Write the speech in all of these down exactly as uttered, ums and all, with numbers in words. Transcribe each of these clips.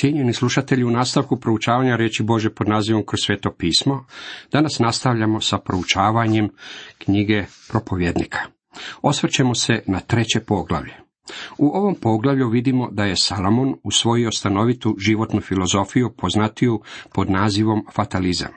Cijenjeni slušatelji, u nastavku proučavanja riječi Božje pod nazivom Kroz sveto pismo, danas nastavljamo sa proučavanjem knjige Propovjednika. Osvrćemo se na treće poglavlje. U ovom poglavlju vidimo da je Salomon usvojio stanovitu životnu filozofiju poznatiju pod nazivom fatalizam.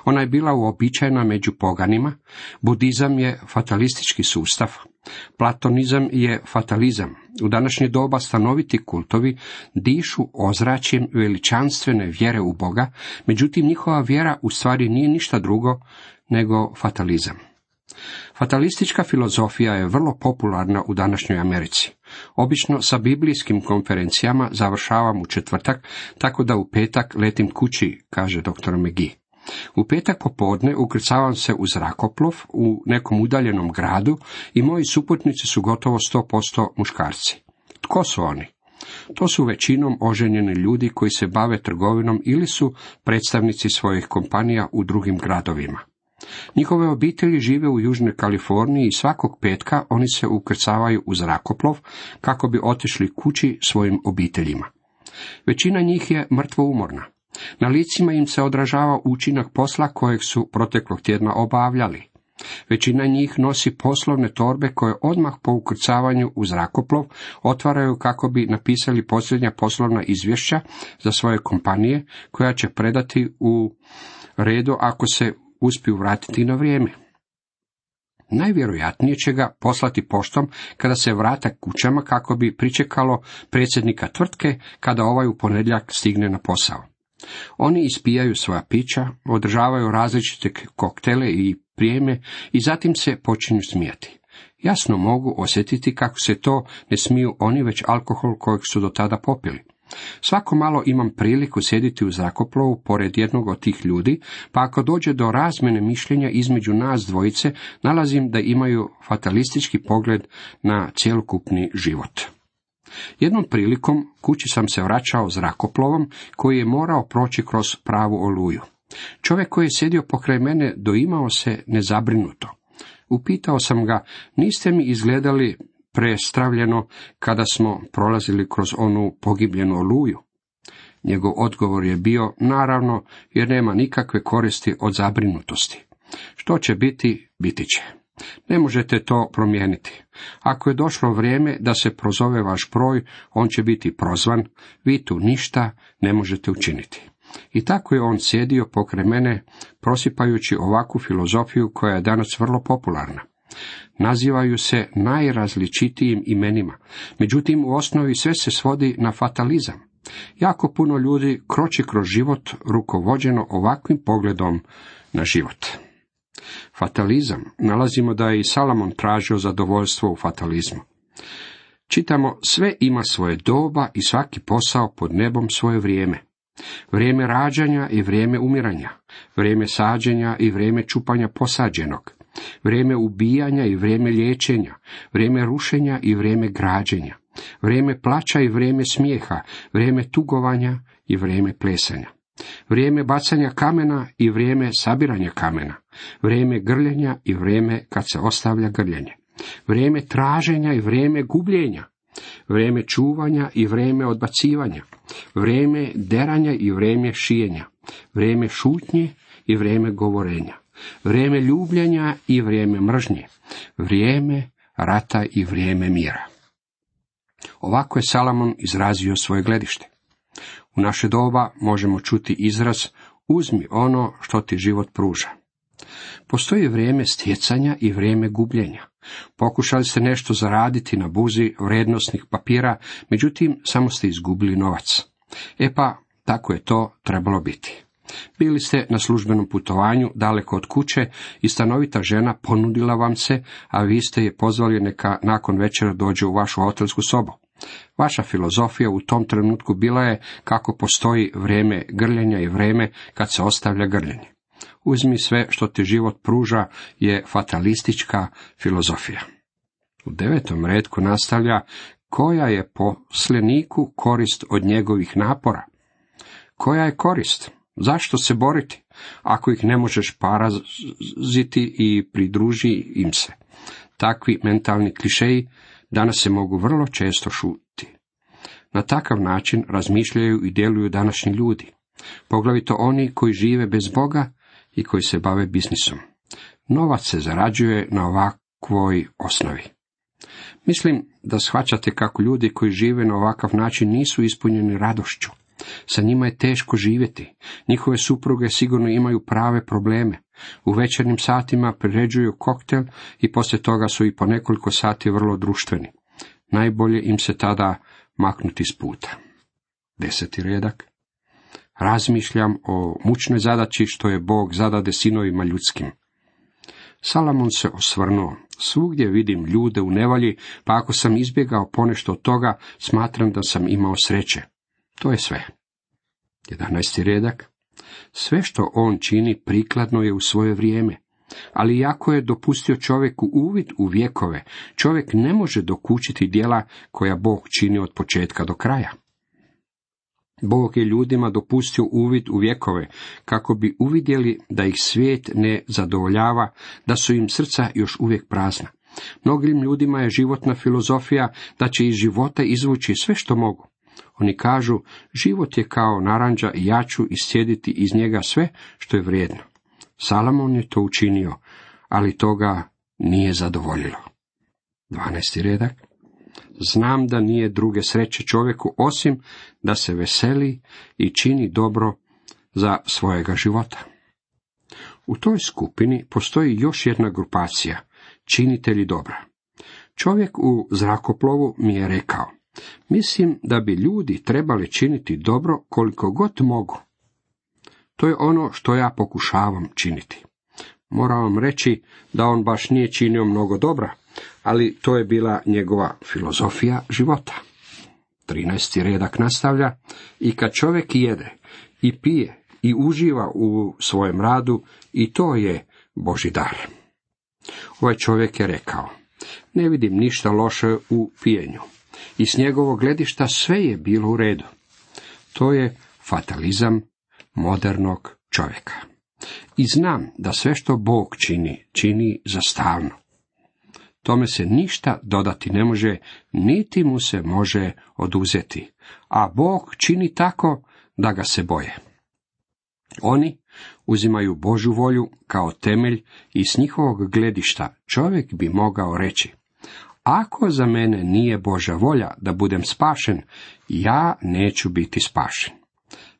Ona je bila uobičajena među poganima, budizam je fatalistički sustav, platonizam je fatalizam. U današnje doba stanoviti kultovi dišu ozračjem veličanstvene vjere u Boga, međutim njihova vjera u stvari nije ništa drugo nego fatalizam. Fatalistička filozofija je vrlo popularna u današnjoj Americi. Obično sa biblijskim konferencijama završavam u četvrtak, tako da u petak letim kući, kaže doktor McGee. U petak popodne ukrcavam se u zrakoplov u nekom udaljenom gradu i moji suputnici su gotovo sto posto muškarci. Tko su oni? To su većinom oženjeni ljudi koji se bave trgovinom ili su predstavnici svojih kompanija u drugim gradovima. Njihove obitelji žive u Južnoj Kaliforniji i svakog petka oni se ukrcavaju u zrakoplov kako bi otišli kući svojim obiteljima. Većina njih je mrtvo umorna. Na licima im se odražava učinak posla kojeg su proteklog tjedna obavljali. Većina njih nosi poslovne torbe koje odmah po ukrcavanju u zrakoplov otvaraju kako bi napisali posljednja poslovna izvješća za svoje kompanije, koja će predati u redu ako se uspiju vratiti na vrijeme. Najvjerojatnije će ga poslati poštom kada se vrata kućama kako bi pričekalo predsjednika tvrtke kada ovaj u ponedjeljak stigne na posao. Oni ispijaju svoja pića, održavaju različite koktele i prijeme i zatim se počinju smijati. Jasno mogu osjetiti kako se to ne smiju oni, već alkohol kojeg su do tada popili. Svako malo imam priliku sjediti u zrakoplovu pored jednog od tih ljudi, pa ako dođe do razmjene mišljenja između nas dvojice, nalazim da imaju fatalistički pogled na cjelokupni život. Jednom prilikom kući sam se vraćao zrakoplovom koji je morao proći kroz pravu oluju. Čovjek koji je sjedio pokraj mene doimao se nezabrinuto. Upitao sam ga, niste mi izgledali prestravljeno kada smo prolazili kroz onu pogibljenu oluju? Njegov odgovor je bio, naravno, jer nema nikakve koristi od zabrinutosti. Što će biti, biti će. Ne možete to promijeniti. Ako je došlo vrijeme da se prozove vaš broj, on će biti prozvan, vi tu ništa ne možete učiniti. I tako je on sjedio pokraj mene, prosipajući ovakvu filozofiju koja je danas vrlo popularna. Nazivaju se najrazličitijim imenima, međutim u osnovi sve se svodi na fatalizam. Jako puno ljudi kroči kroz život rukovođeno ovakvim pogledom na život. Fatalizam, nalazimo da je i Salomon tražio zadovoljstvo u fatalizmu. Čitamo, sve ima svoje doba i svaki posao pod nebom svoje vrijeme. Vrijeme rađanja i vrijeme umiranja, vrijeme sađenja i vrijeme čupanja posađenog, vrijeme ubijanja i vrijeme liječenja, vrijeme rušenja i vrijeme građenja, vrijeme plaća i vrijeme smijeha, vrijeme tugovanja i vrijeme plesanja, vrijeme bacanja kamena i vrijeme sabiranja kamena, vrijeme grljenja i vrijeme kad se ostavlja grljenje, vrijeme traženja i vrijeme gubljenja, vrijeme čuvanja i vrijeme odbacivanja, vrijeme deranja i vrijeme šijenja, vrijeme šutnje i vrijeme govorenja, vrijeme ljubljenja i vrijeme mržnje, vrijeme rata i vrijeme mira. Ovako je Salomon izrazio svoje gledište. U naše doba možemo čuti izraz uzmi ono što ti život pruža. Postoji vrijeme stjecanja i vrijeme gubljenja. Pokušali ste nešto zaraditi na burzi vrijednosnih papira, međutim samo ste izgubili novac. E pa, tako je to trebalo biti. Bili ste na službenom putovanju daleko od kuće i stanovita žena ponudila vam se, a vi ste je pozvali neka nakon večera dođe u vašu hotelsku sobu. Vaša filozofija u tom trenutku bila je kako postoji vrijeme grljenja i vrijeme kad se ostavlja grljenje. Uzmi sve što ti život pruža je fatalistička filozofija. U devetom retku nastavlja, koja je posleniku korist od njegovih napora? Koja je korist? Zašto se boriti, ako ih ne možeš paraziti i pridruži im se? Takvi mentalni klišeji danas se mogu vrlo često šutiti. Na takav način razmišljaju i djeluju današnji ljudi, poglavito oni koji žive bez Boga i koji se bave biznisom. Novac se zarađuje na ovakvoj osnovi. Mislim da shvaćate kako ljudi koji žive na ovakav način nisu ispunjeni radošću. Sa njima je teško živjeti. Njihove supruge sigurno imaju prave probleme. U večernjim satima priređuju koktel i poslije toga su i po nekoliko sati vrlo društveni. Najbolje im se tada maknuti s puta. Deseti redak. Razmišljam o mučnoj zadaći što je Bog zadade sinovima ljudskim. Salamon se osvrnuo. Svugdje vidim ljude u nevolji, pa ako sam izbjegao ponešto od toga, smatram da sam imao sreće. To je sve. Jedanaesti redak. Sve što on čini prikladno je u svoje vrijeme, ali iako je dopustio čovjeku uvid u vjekove, čovjek ne može dokučiti djela koja Bog čini od početka do kraja. Bog je ljudima dopustio uvid u vjekove, kako bi uvidjeli da ih svijet ne zadovoljava, da su im srca još uvijek prazna. Mnogim ljudima je životna filozofija da će iz života izvući sve što mogu. Oni kažu, život je kao naranđa i ja ću iscijediti iz njega sve što je vrijedno. Salamon je to učinio, ali toga nije zadovoljilo. Dvanaesti redak. Znam da nije druge sreće čovjeku osim da se veseli i čini dobro za svojega života. U toj skupini postoji još jedna grupacija, činitelji dobra. Čovjek u zrakoplovu mi je rekao, mislim da bi ljudi trebali činiti dobro koliko god mogu. To je ono što ja pokušavam činiti. Moram vam reći da on baš nije činio mnogo dobra, ali to je bila njegova filozofija života. trinaesti redak nastavlja, i kad čovjek jede i pije i uživa u svojem radu, i to je Božji dar. Ovaj čovjek je rekao, ne vidim ništa loše u pijenju, i s njegovog gledišta sve je bilo u redu. To je fatalizam modernog čovjeka. I znam da sve što Bog čini, čini za stalno. Tome se ništa dodati ne može, niti mu se može oduzeti, a Bog čini tako da ga se boje. Oni uzimaju Božju volju kao temelj i s njihovog gledišta čovjek bi mogao reći, ako za mene nije Božja volja da budem spašen, ja neću biti spašen.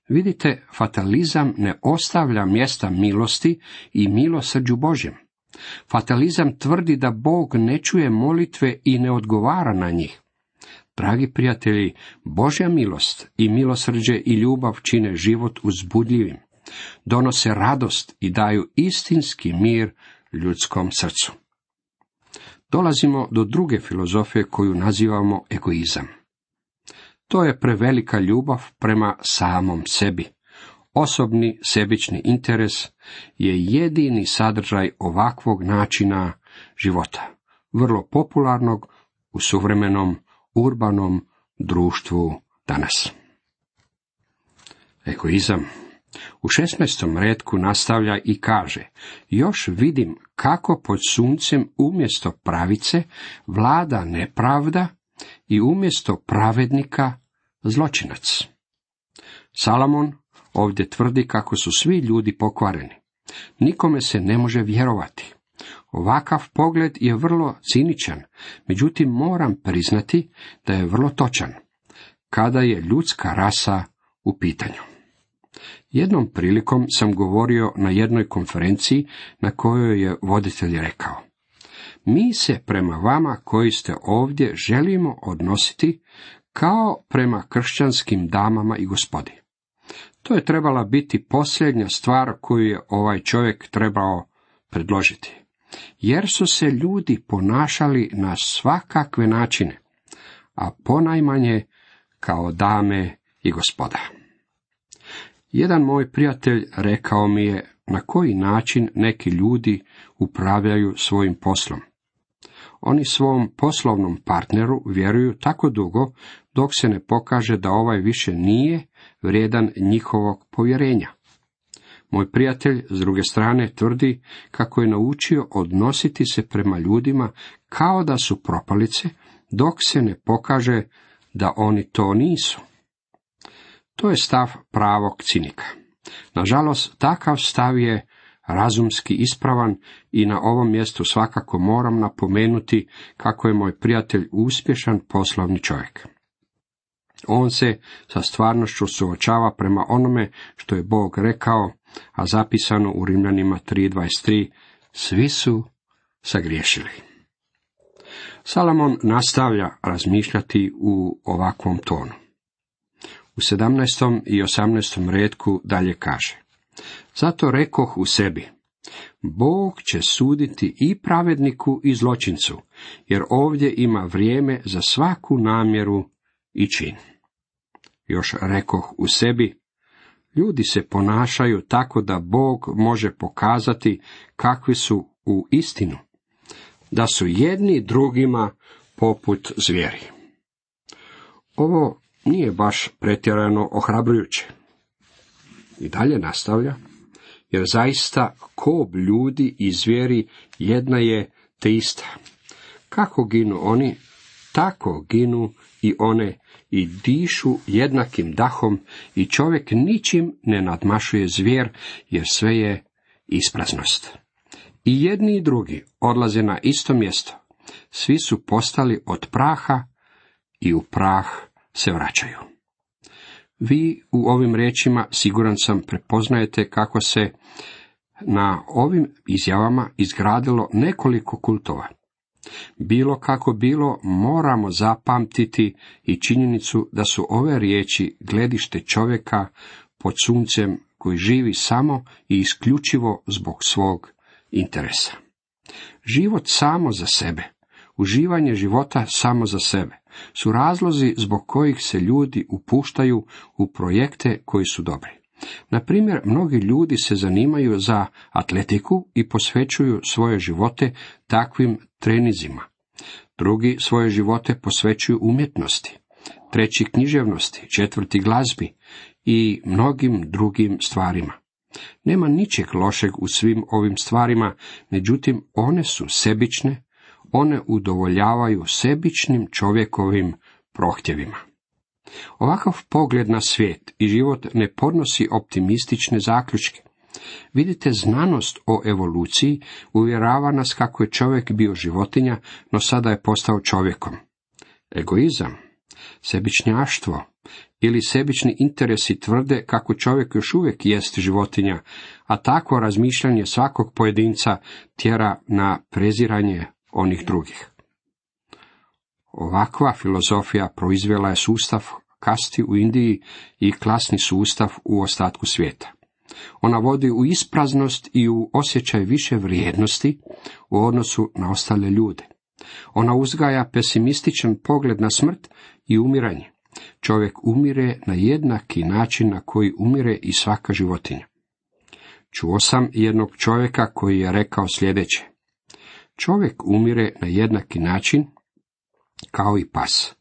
Vidite, fatalizam ne ostavlja mjesta milosti i milosrđu Božjem. Fatalizam tvrdi da Bog ne čuje molitve i ne odgovara na njih. Dragi prijatelji, Božja milost i milosrđe i ljubav čine život uzbudljivim, donose radost i daju istinski mir ljudskom srcu. Dolazimo do druge filozofije koju nazivamo egoizam. To je prevelika ljubav prema samom sebi. Osobni sebični interes je jedini sadržaj ovakvog načina života, vrlo popularnog u suvremenom urbanom društvu danas. Egoizam. U šesnaestom retku nastavlja i kaže, još vidim kako pod suncem umjesto pravice vlada nepravda i umjesto pravednika zločinac. Salamon ovdje tvrdi kako su svi ljudi pokvareni. Nikome se ne može vjerovati. Ovakav pogled je vrlo ciničan, međutim moram priznati da je vrlo točan, kada je ljudska rasa u pitanju. Jednom prilikom sam govorio na jednoj konferenciji na kojoj je voditelj rekao, mi se prema vama koji ste ovdje želimo odnositi kao prema kršćanskim damama i gospodi. To je trebala biti posljednja stvar koju je ovaj čovjek trebao predložiti, jer su se ljudi ponašali na svakakve načine, a ponajmanje kao dame i gospoda. Jedan moj prijatelj rekao mi je na koji način neki ljudi upravljaju svojim poslom. Oni svom poslovnom partneru vjeruju tako dugo dok se ne pokaže da ovaj više nije vrijedan njihovog povjerenja. Moj prijatelj, s druge strane, tvrdi kako je naučio odnositi se prema ljudima kao da su propalice, dok se ne pokaže da oni to nisu. To je stav pravog cinika. Nažalost, takav stav je razumski ispravan i na ovom mjestu svakako moram napomenuti kako je moj prijatelj uspješan poslovni čovjek. On se sa stvarnošću suočava prema onome što je Bog rekao, a zapisano u Rimljanima tri dvadeset tri, svi su sagriješili. Salomon nastavlja razmišljati u ovakvom tonu. U sedamnaestom i osamnaestom retku dalje kaže: zato rekoh u sebi, Bog će suditi i pravedniku i zločincu, jer ovdje ima vrijeme za svaku namjeru i čin. Još rekoh u sebi, ljudi se ponašaju tako da Bog može pokazati kakvi su u istinu, da su jedni drugima poput zvijeri. Ovo nije baš pretjerano ohrabrujuće. I dalje nastavlja, jer zaista kob ljudi i zvijeri jedna je te ista. Kako ginu oni, tako ginu i one i dišu jednakim dahom i čovjek ničim ne nadmašuje zvijer, jer sve je ispraznost. I jedni i drugi odlaze na isto mjesto. Svi su postali od praha i u prah se vraćaju. Vi u ovim riječima, siguran sam, prepoznajete kako se na ovim izjavama izgradilo nekoliko kultova. Bilo kako bilo, moramo zapamtiti i činjenicu da su ove riječi gledište čovjeka pod suncem koji živi samo i isključivo zbog svog interesa. Život samo za sebe, uživanje života samo za sebe, su razlozi zbog kojih se ljudi upuštaju u projekte koji su dobri. Na primjer, mnogi ljudi se zanimaju za atletiku i posvećuju svoje živote takvim treninzima. Drugi svoje živote posvećuju umjetnosti, treći književnosti, četvrti glazbi i mnogim drugim stvarima. Nema ničeg lošeg u svim ovim stvarima, međutim one su sebične, one udovoljavaju sebičnim čovjekovim prohtjevima. Ovakav pogled na svijet i život ne podnosi optimistične zaključke. Vidite, znanost o evoluciji uvjerava nas kako je čovjek bio životinja, no sada je postao čovjekom. Egoizam, sebičnjaštvo ili sebični interesi tvrde kako čovjek još uvijek jest životinja, a takvo razmišljanje svakog pojedinca tjera na preziranje onih drugih. Ovakva filozofija proizvela je sustav kasti u Indiji i klasni sustav u ostatku svijeta. Ona vodi u ispraznost i u osjećaj više vrijednosti u odnosu na ostale ljude. Ona uzgaja pesimističan pogled na smrt i umiranje. Čovjek umire na jednaki način na koji umire i svaka životinja. Čuo sam jednog čovjeka koji je rekao sljedeće: čovjek umire na jednaki način kao i pas.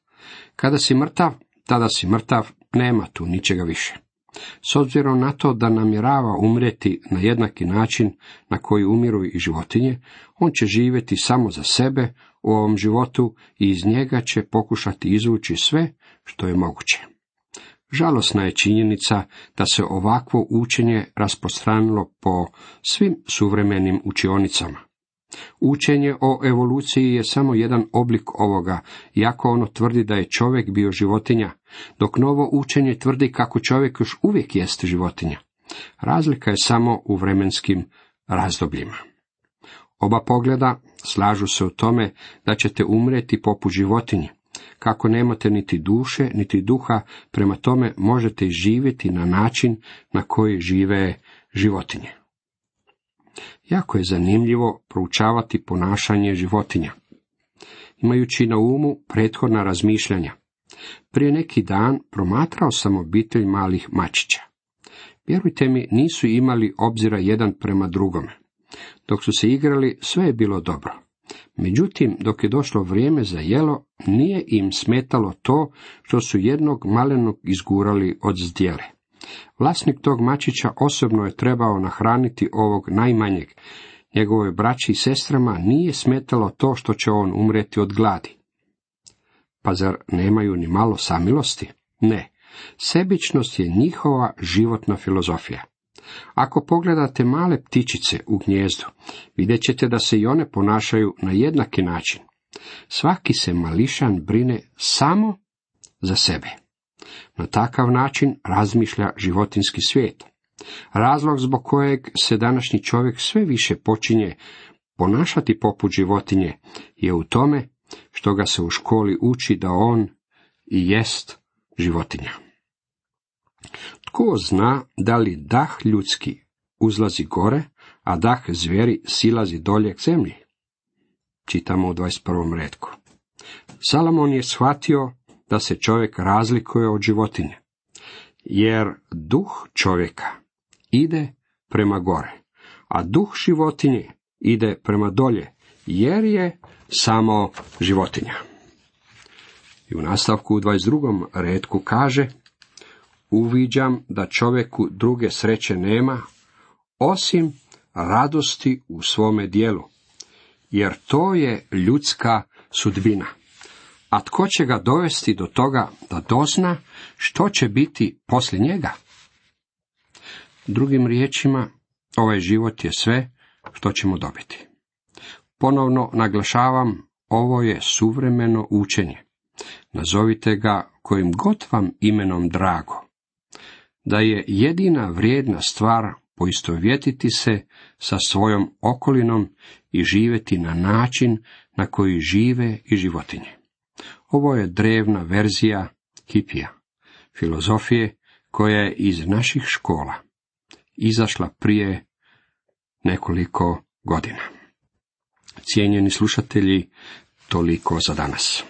Kada si mrtav, tada si mrtav, nema tu ničega više. S obzirom na to da namjerava umrijeti na jednaki način na koji umiru i životinje, on će živjeti samo za sebe u ovom životu i iz njega će pokušati izvući sve što je moguće. Žalosna je činjenica da se ovakvo učenje rasprostranilo po svim suvremenim učionicama. Učenje o evoluciji je samo jedan oblik ovoga, iako ono tvrdi da je čovjek bio životinja, dok novo učenje tvrdi kako čovjek još uvijek jest životinja. Razlika je samo u vremenskim razdobljima. Oba pogleda slažu se u tome da ćete umrijeti poput životinje. Kako nemate niti duše, niti duha, prema tome možete živjeti na način na koji žive životinje. Jako je zanimljivo proučavati ponašanje životinja, imajući na umu prethodna razmišljanja. Prije neki dan promatrao sam obitelj malih mačića. Vjerujte mi, nisu imali obzira jedan prema drugome. Dok su se igrali, sve je bilo dobro. Međutim, dok je došlo vrijeme za jelo, nije im smetalo to što su jednog malenog izgurali od zdjele. Vlasnik tog mačića osobno je trebao nahraniti ovog najmanjeg. Njegovoj braći i sestrama nije smetalo to što će on umrijeti od gladi. Pa zar nemaju ni malo samilosti? Ne. Sebičnost je njihova životna filozofija. Ako pogledate male ptičice u gnijezdu, vidjet ćete da se i one ponašaju na jednaki način. Svaki se mališan brine samo za sebe. Na takav način razmišlja životinjski svijet. Razlog zbog kojeg se današnji čovjek sve više počinje ponašati poput životinje je u tome što ga se u školi uči da on i jest životinja. Tko zna da li dah ljudski uzlazi gore, a dah zvijeri silazi dolje k zemlji? Čitamo u dvadeset prvom retku. Salomon je shvatio da se čovjek razlikuje od životinje, jer duh čovjeka ide prema gore, a duh životinje ide prema dolje, jer je samo životinja. I u nastavku u dvadeset drugom retku kaže: uviđam da čovjeku druge sreće nema, osim radosti u svome dijelu, jer to je ljudska sudbina. A tko će ga dovesti do toga da dozna što će biti poslije njega? Drugim riječima, ovaj život je sve što ćemo dobiti. Ponovno naglašavam, ovo je suvremeno učenje. Nazovite ga kojim god vam imenom drago. Da je jedina vrijedna stvar poistovjetiti se sa svojom okolinom i živjeti na način na koji žive i životinje. Ovo je drevna verzija hipija, filozofije koja je iz naših škola izašla prije nekoliko godina. Cijenjeni slušatelji, toliko za danas.